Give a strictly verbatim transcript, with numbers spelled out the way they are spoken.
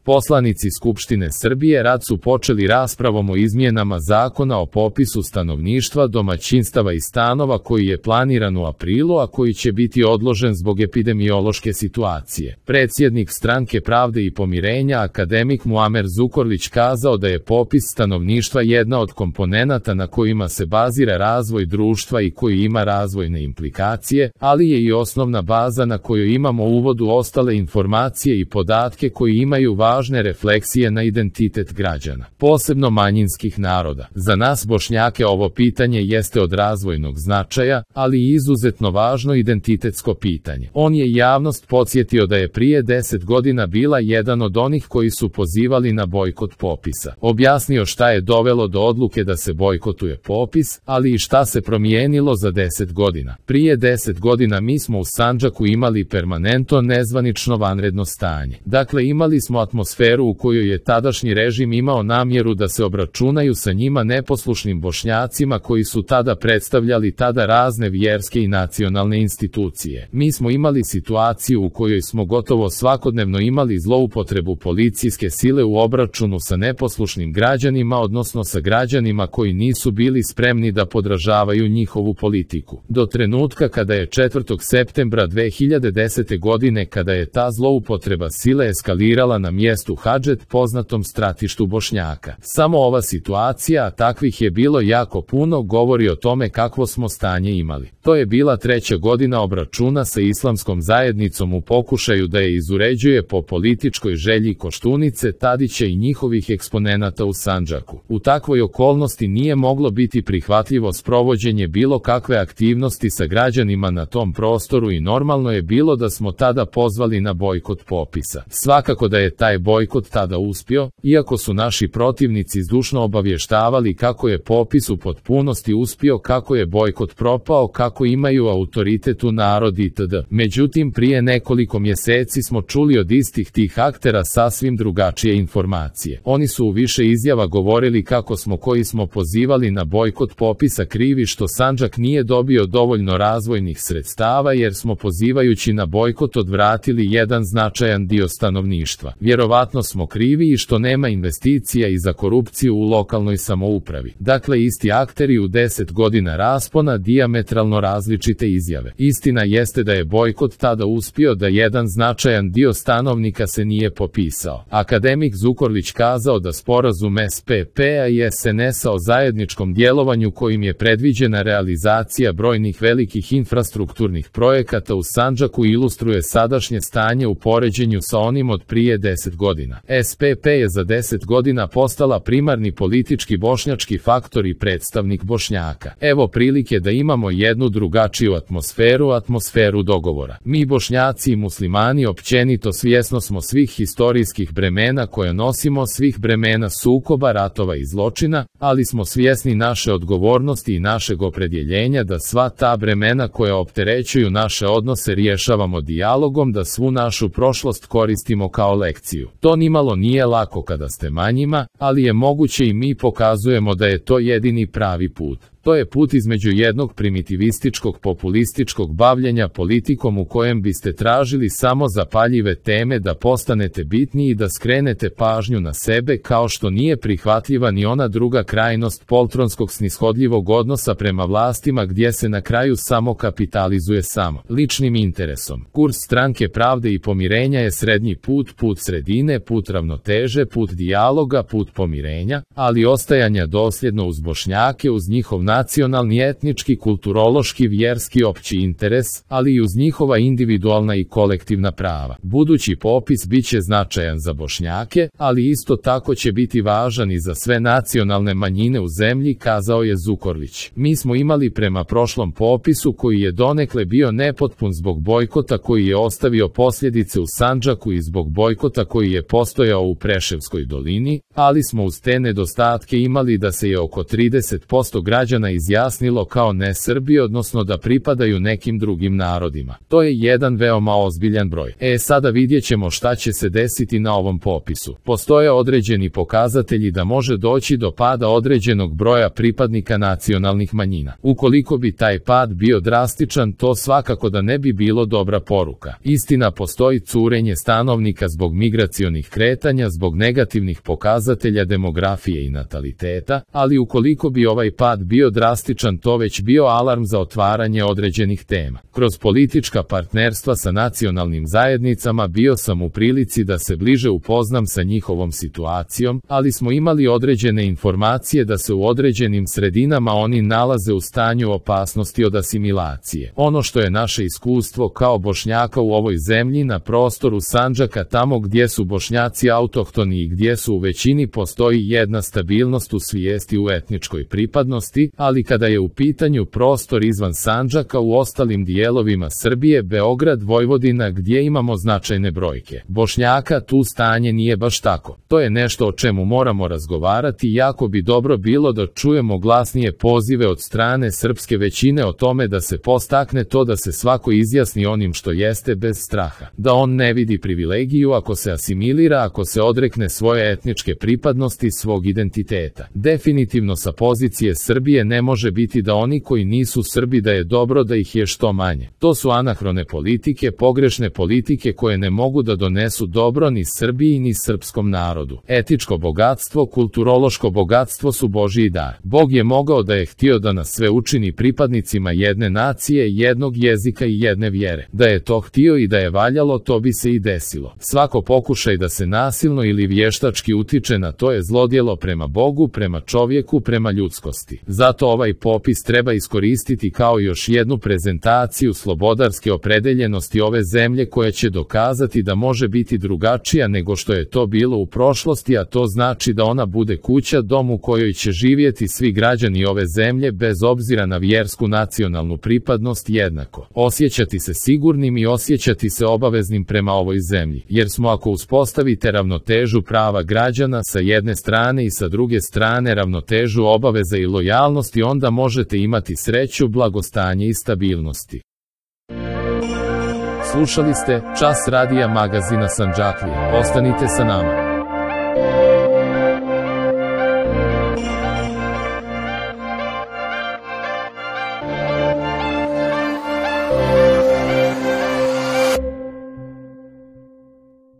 Poslanici Skupštine Srbije rad su počeli raspravom o izmjenama Zakona o popisu stanovništva, domaćinstava i stanova koji je planiran u aprilu, a koji će biti odložen zbog epidemiološke situacije. Predsjednik Stranke pravde i pomirenja, akademik Muamer Zukorlić, kazao da je popis stanovništva jedna od komponenata na kojima se bazira razvoj društva i koji ima razvojne implikacije, ali je i osnovna baza na kojoj imamo uvod u ostale informacije i podatke koji imaju važne refleksije na identitet građana, posebno manjinskih naroda. Za nas Bošnjake ovo pitanje jeste od razvojnog značaja, ali i izuzetno važno identitetsko pitanje. On je javnost podsjetio da je prije deset godina bila jedan od onih koji su pozivali na bojkot popisa. Objasnio šta je dovelo do odluke da se bojkotuje popis, ali i šta se promijenilo za deset godina. Prije deset godina mi smo u Sandžaku imali permanentno nezvanično vanredno stanje. Dakle, imali smo atmosferu u kojoj je tadašnji režim imao namjeru da se obračunaju sa njima neposlušnim Bošnjacima koji su tada predstavljali tada razne vjerske i nacionalne institucije. Mi smo imali situaciju u kojoj smo gotovo svakodnevno imali zloupotrebu policijske sile u obračunu sa neposlušnim građanima, odnosno sa građanima koji nisu bili spremni da podražavaju njihovu politiku. Do trenutka kada je četvrtog septembra dve hiljade desete. godine, kada je ta zloupotreba sile eskalirala na mjestu Hadžet, poznatom stratištu Bošnjaka. Samo ova situacija, a takvih je bilo jako puno, govori o tome kakvo smo stanje imali. To je bila treća godina obračuna sa islamskom zajednicom u pokušaju da je izuređuje po političkoj želji Koštunice, Tadića i njihovih eksponenata u Sandžaku. U takvoj okolnosti nije moglo biti prihvatljivo sprovođenje bilo kakve aktivnosti sa građanima na tom prostoru i normalno je bilo da smo tada pozvali na bojkot popisa. Svakako da je taj bojkot tada uspio, iako su naši protivnici zdušno obavještavali kako je popis u potpunosti uspio, kako je bojkot propao, kako imaju autoritet u narod itd. Međutim, prije nekoliko mjeseci smo čuli od istih tih aktera sasvim drugačije informacije. Oni su u više izjava govorili kako smo koji smo pozivali na bojkot popisa krivi što Sandžak nije dobio dovoljno razvojnih sredstava jer smo pozivajući na bojkot odvratili jedan značajan dio stanovništva. Vjerovatno smo krivi i što nema investicija i za korupciju u lokalnoj samoupravi. Dakle, isti akteri u deset godina raspona, dijametralno različite izjave. Istina jeste da je bojkot tada uspio, da jedan značajan dio stanovnika se nije popisao. Akademik Zukorlić kazao da sporazum S P P-a i S N S-a o zajedničkom djelovanju kojim je predviđena realizacija brojnih velikih infrastrukturnih projekata u Sandžaku ilustruje sadašnje stanje u poređenju sa onim od prije deset godina. S P P je za deset godina postala primarni politički bošnjački faktor i predstavnik Bošnjaka. Evo prilike da imamo jednu drugačiju atmosferu, atmosferu dogovora. Mi Bošnjaci i muslimani općenito svjesno smo svih historijskih bremena koje nosimo, svih bremena sukoba, ratova i zločina, ali smo svjesni naše odgovornosti i našeg opredjeljenja da sva ta bremena koja opterećuju naše odnose rješavamo dijalogom, da svu našu prošlost koristimo kao lekciju. To nimalo nije lako kada ste manjima, ali je moguće i mi pokazujemo da je to jedini pravi put. To je put između jednog primitivističkog populističkog bavljenja politikom u kojem biste tražili samo zapaljive teme da postanete bitni i da skrenete pažnju na sebe, kao što nije prihvatljiva ni ona druga krajnost poltronskog snishodljivog odnosa prema vlastima gdje se na kraju samo kapitalizuje samo ličnim interesom. Kurs Stranke pravde i pomirenja je srednji put, put sredine, put ravnoteže, put dijaloga, put pomirenja, ali ostajanja dosljedno uz Bošnjake, uz njihov nacionalni, etnički, kulturološki, vjerski opći interes, ali i uz njihova individualna i kolektivna prava. Budući popis bit će značajan za Bošnjake, ali isto tako će biti važan i za sve nacionalne manjine u zemlji, kazao je Zukorlić. Mi smo imali prema prošlom popisu koji je donekle bio nepotpun zbog bojkota koji je ostavio posljedice u Sandžaku i zbog bojkota koji je postojao u Preševskoj dolini, ali smo uz te nedostatke imali da se je oko trideset posto građana građana izjasnilo kao ne Srbi, odnosno da pripadaju nekim drugim narodima. To je jedan veoma ozbiljan broj. E sada vidjet ćemo šta će se desiti na ovom popisu. Postoje određeni pokazatelji da može doći do pada određenog broja pripadnika nacionalnih manjina. Ukoliko bi taj pad bio drastičan, to svakako da ne bi bilo dobra poruka. Istina, postoji curenje stanovnika zbog migracionih kretanja, zbog negativnih pokazatelja demografije i nataliteta, ali ukoliko bi ovaj pad bio drastičan, to već bio alarm za otvaranje određenih tema. Kroz politička partnerstva sa nacionalnim zajednicama bio sam u prilici da se bliže upoznam sa njihovom situacijom, ali smo imali određene informacije da se u određenim sredinama oni nalaze u stanju opasnosti od asimilacije. Ono što je naše iskustvo kao Bošnjaka u ovoj zemlji na prostoru Sandžaka, tamo gdje su Bošnjaci autohtoni i gdje su u većini, postoji jedna stabilnost u svijesti u etničkoj pripadnosti, ali kada je u pitanju prostor izvan Sandžaka u ostalim dijelovima Srbije, Beograd, Vojvodina, gdje imamo značajne brojke Bošnjaka, tu stanje nije baš tako. To je nešto o čemu moramo razgovarati i jako bi dobro bilo da čujemo glasnije pozive od strane srpske većine o tome da se postakne to da se svako izjasni onim što jeste bez straha. Da on ne vidi privilegiju ako se asimilira, ako se odrekne svoje etničke pripadnosti, svog identiteta. Definitivno sa pozicije Srbije ne može biti da oni koji nisu Srbi da je dobro da ih je što manje. To su anahrone politike, pogrešne politike koje ne mogu da donesu dobro ni Srbiji ni srpskom narodu. Etičko bogatstvo, kulturološko bogatstvo su Božji dar. Bog je mogao da je htio da nas sve učini pripadnicima jedne nacije, jednog jezika i jedne vjere. Da je to htio i da je valjalo, to bi se i desilo. Svako pokušaj da se nasilno ili vještački utiče na to je zlodjelo prema Bogu, prema čovjeku, prema ljudskosti. Zato ovaj popis treba iskoristiti kao još jednu prezentaciju slobodarske opredeljenosti ove zemlje koja će dokazati da može biti drugačija nego što je to bilo u prošlosti, a to znači da ona bude kuća, dom u kojoj će živjeti svi građani ove zemlje bez obzira na vjersku nacionalnu pripadnost jednako. Osjećati se sigurnim i osjećati se obaveznim prema ovoj zemlji, jer smo ako uspostavite ravnotežu prava građana sa jedne strane i sa druge strane ravnotežu obaveza i lojalnosti, onda možete imati sreću, blagostanje i stabilnosti. Slušali ste Čas radija magazina Sandžaklija. Ostanite sa nama.